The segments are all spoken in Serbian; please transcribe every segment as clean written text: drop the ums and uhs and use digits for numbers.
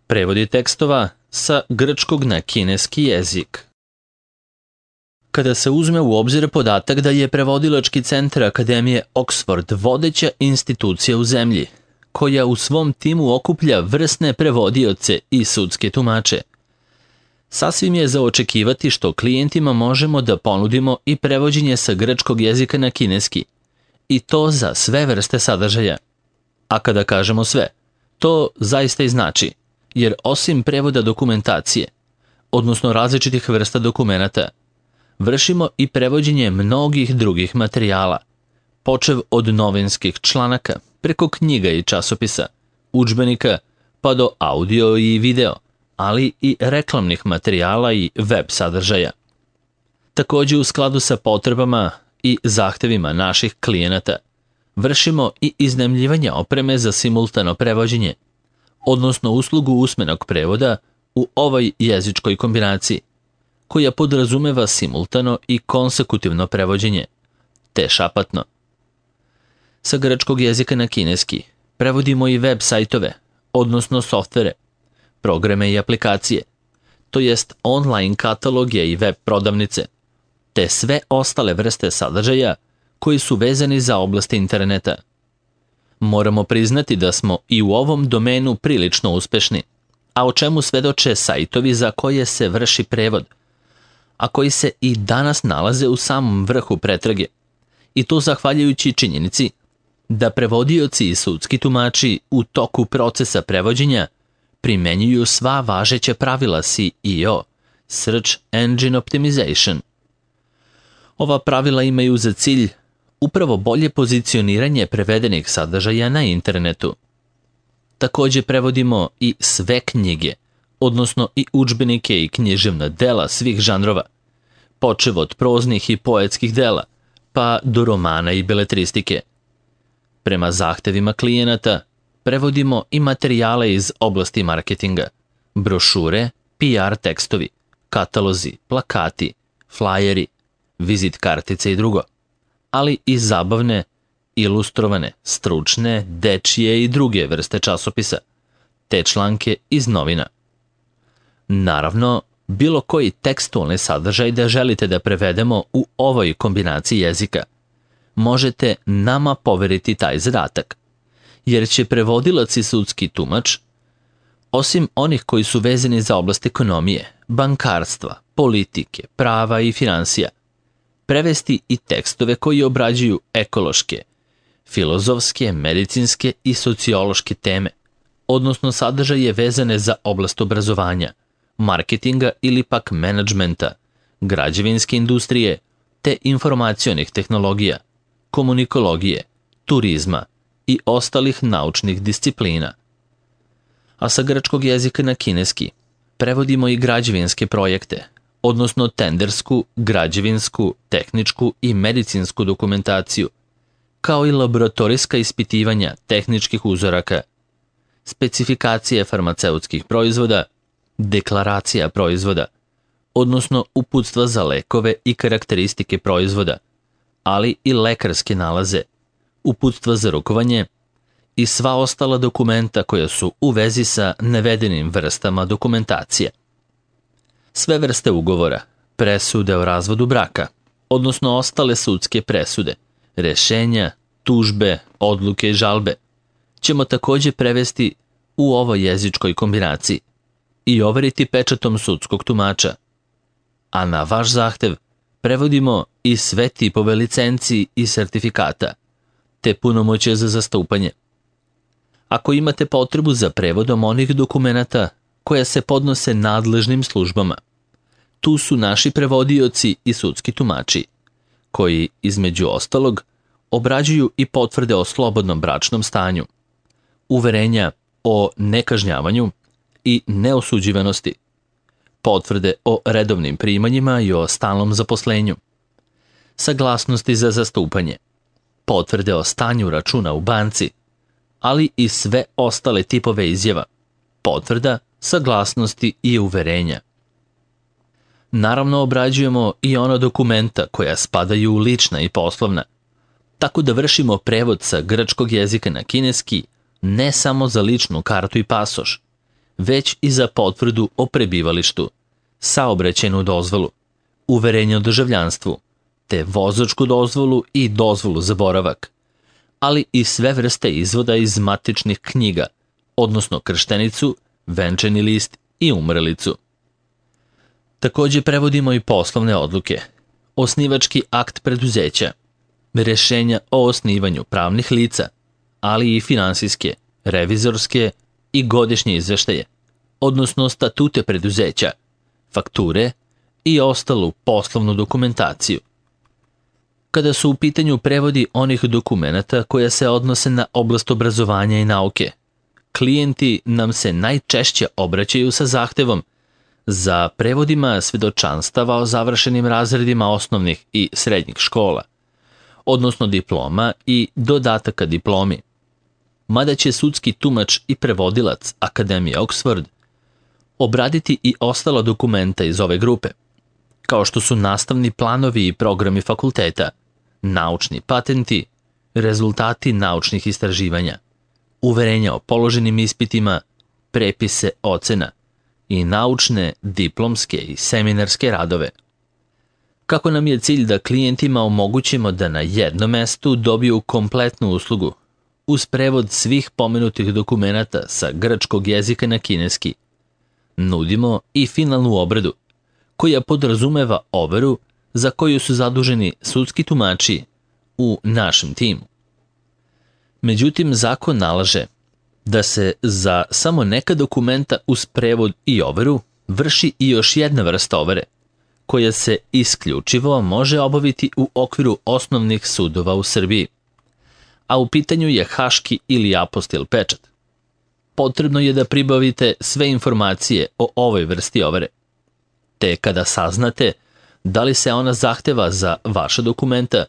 Prevodi tekstova sa grčkog na kineski jezik. Kada se uzme u obzir podatak da je Prevodilački centar Akademije Oxford vodeća institucija u zemlji, koja u svom timu okuplja vrsne prevodioce i sudske tumače, sasvim je za očekivati što klijentima možemo da ponudimo i prevođenje sa grčkog jezika na kineski, i to za sve vrste sadržaja. A kada kažemo sve, to zaista i znači, jer osim prevoda dokumentacije, odnosno različitih vrsta dokumenata, vršimo i prevođenje mnogih drugih materijala, počev od novinskih članaka, preko knjiga i časopisa, udžbenika, pa do audio i video, ali i reklamnih materijala i web sadržaja. Takođe, u skladu sa potrebama i zahtevima naših klijenata, vršimo i iznajmljivanje opreme za simultano prevođenje, odnosno uslugu usmenog prevoda u ovoj jezičkoj kombinaciji, koja podrazumeva simultano i konsekutivno prevođenje, te šapatno. Sa grčkog jezika na kineski prevodimo i web sajtove, odnosno softvere, programe i aplikacije, to jest online kataloge i web prodavnice, te sve ostale vrste sadržaja koji su vezani za oblasti interneta. Moramo priznati da smo i u ovom domenu prilično uspešni, a o čemu svedoče sajtovi za koje se vrši prevod, a koji se i danas nalaze u samom vrhu pretrage, i to zahvaljujući činjenici da prevodioci i sudski tumači u toku procesa prevođenja primenjuju sva važeća pravila SEO, Search Engine Optimization. Ova pravila imaju za cilj upravo bolje pozicioniranje prevedenih sadržaja na internetu. Takođe prevodimo i sve knjige, odnosno i udžbenike i književna dela svih žanrova, počev od proznih i poetskih dela, pa do romana i beletristike. Prema zahtevima klijenata, prevodimo i materijale iz oblasti marketinga, brošure, PR tekstovi, katalozi, plakati, flajeri, vizit kartice i drugo, ali i zabavne, ilustrovane, stručne, dečije i druge vrste časopisa, te članke iz novina. Naravno, bilo koji tekstualni sadržaj da želite da prevedemo u ovoj kombinaciji jezika, možete nama poveriti taj zadatak, jer će prevodilac i sudski tumač, osim onih koji su vezani za oblast ekonomije, bankarstva, politike, prava i finansija, prevesti i tekstove koji obrađuju ekološke, filozofske, medicinske i sociološke teme, odnosno sadržaje vezane za oblast obrazovanja, marketinga ili pak menadžmenta, građevinske industrije, te informacionih tehnologija, komunikologije, turizma i ostalih naučnih disciplina. A sa grčkog jezika na kineski prevodimo i građevinske projekte, odnosno tendersku, građevinsku, tehničku i medicinsku dokumentaciju, kao i laboratorijska ispitivanja tehničkih uzoraka, specifikacije farmaceutskih proizvoda, deklaracija proizvoda, odnosno uputstva za lekove i karakteristike proizvoda, ali i lekarske nalaze, uputstva za rukovanje i sva ostala dokumenta koja su u vezi sa navedenim vrstama dokumentacije. Sve vrste ugovora, presude o razvodu braka, odnosno ostale sudske presude, rešenja, tužbe, odluke i žalbe, ćemo takođe prevesti u ovoj jezičkoj kombinaciji i overiti pečatom sudskog tumača. A na vaš zahtev prevodimo i sve tipove licenci i sertifikata, te punomoćje za zastupanje. Ako imate potrebu za prevodom onih dokumenata koja se podnose nadležnim službama, tu su naši prevodioci i sudski tumači, koji, između ostalog, obrađuju i potvrde o slobodnom bračnom stanju, uverenja o nekažnjavanju i neosuđivanosti, potvrde o redovnim primanjima i o stalnom zaposlenju, saglasnosti za zastupanje, potvrde o stanju računa u banci, ali i sve ostale tipove izjava, potvrda, saglasnosti i uverenja. Naravno, obrađujemo i ona dokumenta koja spadaju u lična i poslovna, tako da vršimo prevod sa grčkog jezika na kineski ne samo za ličnu kartu i pasoš, već i za potvrdu o prebivalištu, saobraćajnu dozvolu, uverenje o državljanstvu, te vozačku dozvolu i dozvolu za boravak, ali i sve vrste izvoda iz matičnih knjiga, odnosno krštenicu, venčani list i umrlicu. Takođe prevodimo i poslovne odluke, osnivački akt preduzeća, rešenja o osnivanju pravnih lica, ali i finansijske, revizorske i godišnje izveštaje, odnosno statute preduzeća, fakture i ostalu poslovnu dokumentaciju. Kada su u pitanju prevodi onih dokumenata koja se odnose na oblast obrazovanja i nauke, klijenti nam se najčešće obraćaju sa zahtevom za prevodima svedočanstava o završenim razredima osnovnih i srednjih škola, odnosno diploma i dodataka diplomi. Mada će sudski tumač i prevodilac Akademije Oxford obraditi i ostala dokumenta iz ove grupe, kao što su nastavni planovi i programi fakulteta, naučni patenti, rezultati naučnih istraživanja, uverenja o položenim ispitima, prepise ocena i naučne, diplomske i seminarske radove. Kako nam je cilj da klijentima omogućimo da na jednom mestu dobiju kompletnu uslugu, uz prevod svih pomenutih dokumenata sa grčkog jezika na kineski, nudimo i finalnu obradu, koja podrazumeva overu za koju su zaduženi sudski tumači u našem timu. Međutim, zakon nalaže da se za samo neka dokumenta uz prevod i overu vrši i još jedna vrsta overe, koja se isključivo može obaviti u okviru osnovnih sudova u Srbiji, a u pitanju je haški ili apostil pečat. Potrebno je da pribavite sve informacije o ovoj vrsti overe, te kada saznate da li se ona zahteva za vaša dokumenta,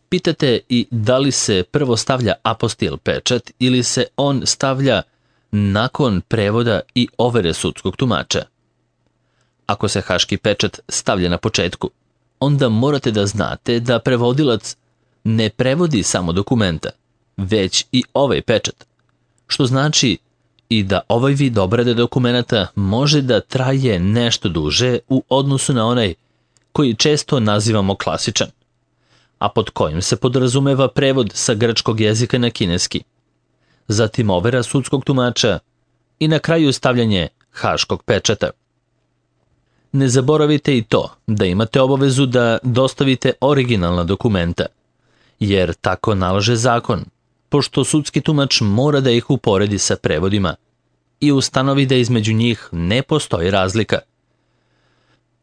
pitate i da li se prvo stavlja apostil pečat ili se on stavlja nakon prevoda i overe sudskog tumača. Ako se haški pečat stavlja na početku, onda morate da znate da prevodilac ne prevodi samo dokumenta, već i ovaj pečat, što znači i da ovaj vid obrade dokumenata može da traje nešto duže u odnosu na onaj koji često nazivamo klasičan, a pod kojim se podrazumeva prevod sa grčkog jezika na kineski, zatim overa sudskog tumača i na kraju stavljanje haškog pečata. Ne zaboravite i to da imate obavezu da dostavite originalna dokumenta, jer tako nalaže zakon, pošto sudski tumač mora da ih uporedi sa prevodima i ustanovi da između njih ne postoji razlika.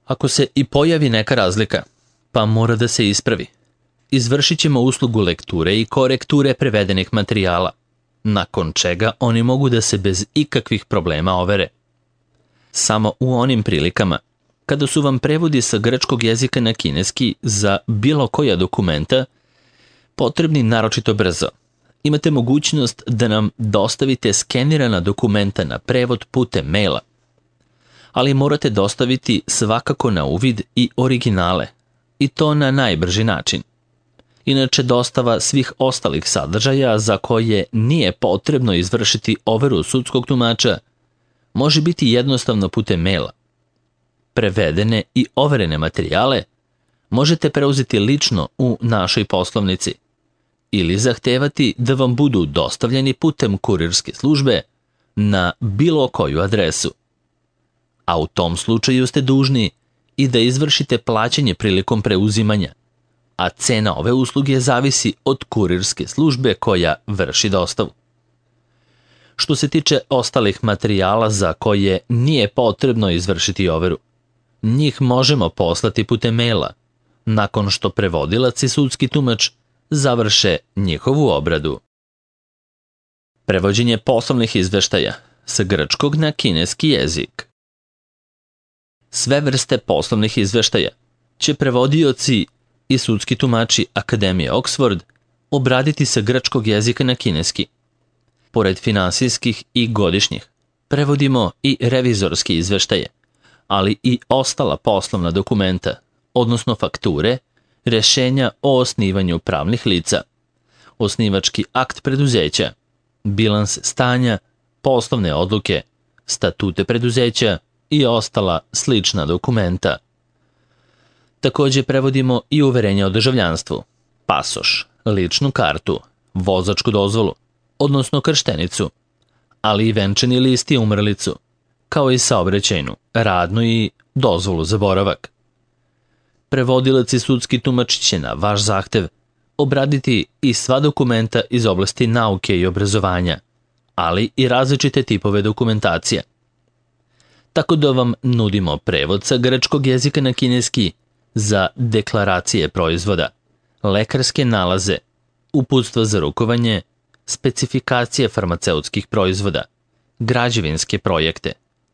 Ako se i pojavi neka razlika, pa mora da se ispravi, izvršit ćemo uslugu lekture i korekture prevedenih materijala, nakon čega oni mogu da se bez ikakvih problema overe. Samo u onim prilikama, kada su vam prevodi sa grčkog jezika na kineski za bilo koja dokumenta potrebni naročito brzo, imate mogućnost da nam dostavite skenirana dokumenta na prevod putem maila, ali morate dostaviti svakako na uvid i originale, i to na najbrži način. Inače, dostava svih ostalih sadržaja za koje nije potrebno izvršiti overu sudskog tumača može biti jednostavno putem maila. Prevedene i overene materijale možete preuzeti lično u našoj poslovnici ili zahtevati da vam budu dostavljeni putem kurirske službe na bilo koju adresu. A u tom slučaju ste dužni i da izvršite plaćanje prilikom preuzimanja, a cena ove usluge zavisi od kurirske službe koja vrši dostavu. Što se tiče ostalih materijala za koje nije potrebno izvršiti overu, njih možemo poslati putem maila, nakon što prevodilac i sudski tumač završe njihovu obradu. Prevođenje poslovnih izveštaja sa grčkog na kineski jezik. Sve vrste poslovnih izveštaja će prevodioci i sudski tumači Akademije Oxford obraditi sa grčkog jezika na kineski. Pored finansijskih i godišnjih, prevodimo i revizorske izveštaje, ali i ostala poslovna dokumenta, odnosno fakture, rešenja o osnivanju pravnih lica, osnivački akt preduzeća, bilans stanja, poslovne odluke, statute preduzeća i ostala slična dokumenta. Takođe prevodimo i uverenje o državljanstvu, pasoš, ličnu kartu, vozačku dozvolu, odnosno krštenicu, ali i venčani list i umrlicu, kao i saobraćajnu, radnu i dozvolu za boravak. Prevodilac i sudski tumač će na vaš zahtev obraditi i sva dokumenta iz oblasti nauke i obrazovanja, ali i različite tipove dokumentacija. Tako da vam nudimo prevod sa grčkog jezika na kineski za deklaracije proizvoda, lekarske nalaze, uputstva za rukovanje, specifikacije farmaceutskih proizvoda, građevinske projekte,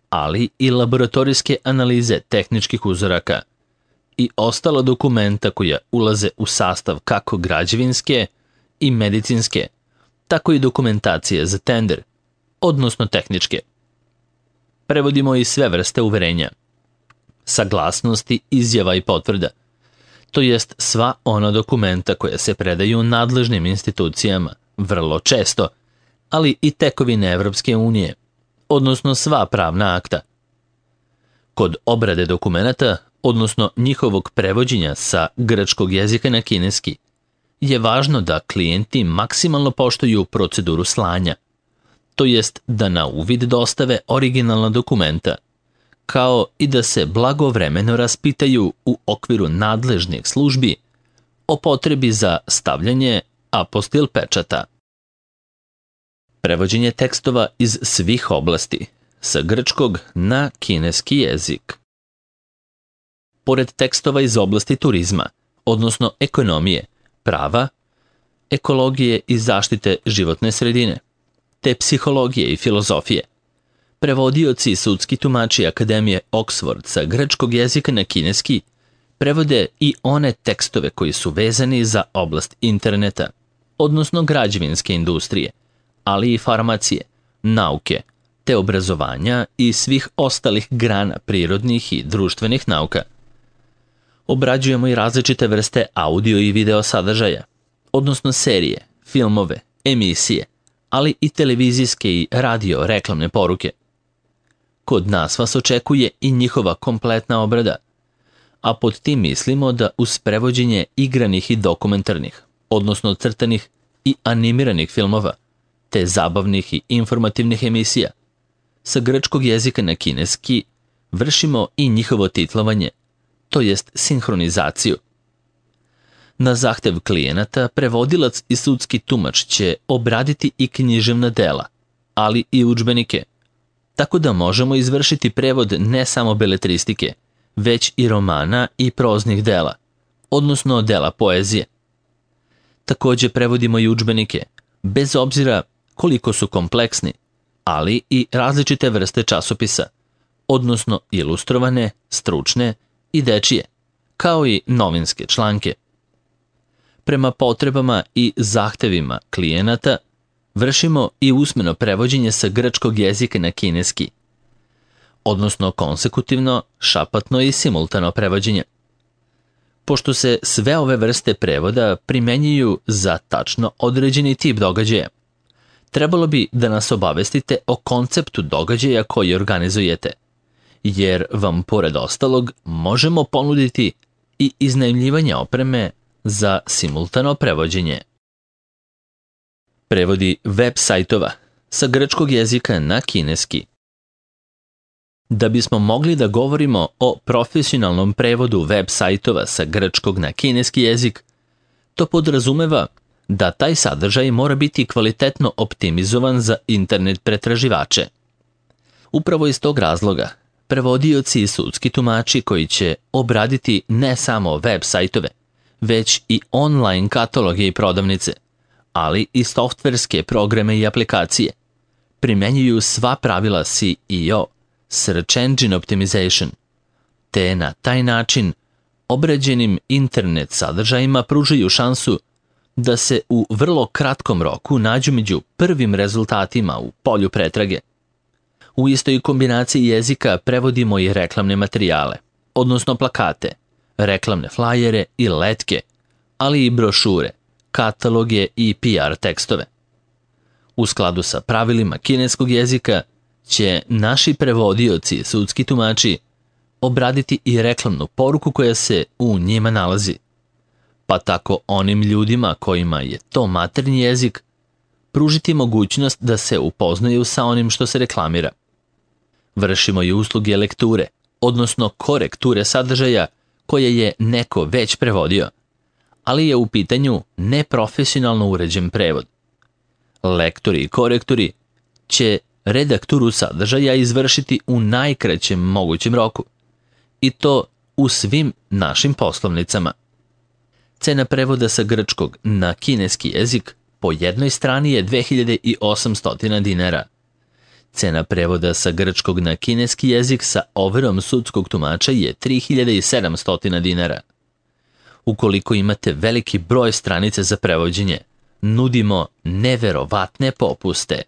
ali i laboratorijske analize tehničkih uzoraka i ostala dokumenta koja ulaze u sastav kako građevinske i medicinske, tako i dokumentacije za tender, odnosno tehničke. Prevodimo i sve vrste uverenja, saglasnosti, izjava i potvrda, to jest sva ona dokumenta koja se predaju nadležnim institucijama, vrlo često, ali i tekovine Evropske unije, odnosno sva pravna akta. Kod obrade dokumenata, odnosno njihovog prevođenja sa grčkog jezika na kineski, je važno da klijenti maksimalno poštuju proceduru slanja, to jest da na uvid dostave originalna dokumenta, kao i da se blagovremeno raspitaju u okviru nadležnih službi o potrebi za stavljanje apostil pečata. Prevođenje tekstova iz svih oblasti, sa grčkog na kineski jezik. Pored tekstova iz oblasti turizma, odnosno ekonomije, prava, ekologije i zaštite životne sredine, te psihologije i filozofije, prevodioci i sudski tumači Akademije Oxford sa grčkog jezika na kineski prevode i one tekstove koji su vezani za oblast interneta, odnosno građevinske industrije, ali i farmacije, nauke, te obrazovanja i svih ostalih grana prirodnih i društvenih nauka. Obrađujemo i različite vrste audio i video sadržaja, odnosno serije, filmove, emisije, ali i televizijske i radio reklamne poruke. Kod nas vas očekuje i njihova kompletna obrada, a pod tim mislimo da uz prevođenje igranih i dokumentarnih, odnosno crtanih i animiranih filmova, te zabavnih i informativnih emisija, sa grčkog jezika na kineski vršimo i njihovo titlovanje, to jest sinhronizaciju. Na zahtev klijenata prevodilac i sudski tumač će obraditi i književna dela, ali i udžbenike, tako da možemo izvršiti prevod ne samo beletristike, već i romana i proznih dela, odnosno dela poezije. Takođe prevodimo i udžbenike, bez obzira koliko su kompleksni, ali i različite vrste časopisa, odnosno ilustrovane, stručne i dečije, kao i novinske članke. Prema potrebama i zahtevima klijenata vršimo i usmeno prevođenje sa grčkog jezika na kineski, odnosno konsekutivno, šapatno i simultano prevođenje. Pošto se sve ove vrste prevoda primenjuju za tačno određeni tip događaja, trebalo bi da nas obavestite o konceptu događaja koji organizujete, jer vam pored ostalog možemo ponuditi i iznajmljivanje opreme za simultano prevođenje. Prevodi web sajtova sa grčkog jezika na kineski. Da bismo mogli da govorimo o profesionalnom prevodu web sajtova sa grčkog na kineski jezik, to podrazumeva da taj sadržaj mora biti kvalitetno optimizovan za internet pretraživače. Upravo iz tog razloga, prevodioci i sudski tumači koji će obraditi ne samo web sajtove, već i online kataloge i prodavnice, ali i softverske programe i aplikacije, primenjuju sva pravila SEO, Search Engine Optimization, te na taj način obrađenim internet sadržajima pružaju šansu da se u vrlo kratkom roku nađu među prvim rezultatima u polju pretrage. U istoj kombinaciji jezika prevodimo i reklamne materijale, odnosno plakate, reklamne flajere i letke, ali i brošure, kataloge i PR tekstove. U skladu sa pravilima kineskog jezika će naši prevodioci, sudski tumači, obraditi i reklamnu poruku koja se u njima nalazi. Pa tako onim ljudima kojima je to maternji jezik, pružiti mogućnost da se upoznaju sa onim što se reklamira. Vršimo i usluge lekture, odnosno korekture sadržaja koje je neko već prevodio, ali je u pitanju neprofesionalno uređen prevod. Lektori i korektori će redakturu sadržaja izvršiti u najkraćem mogućem roku, i to u svim našim poslovnicama. Cena prevoda sa grčkog na kineski jezik po jednoj strani je 2800 dinara. Cena prevoda sa grčkog na kineski jezik sa overom sudskog tumača je 3700 dinara. Ukoliko imate veliki broj stranica za prevođenje, nudimo neverovatne popuste.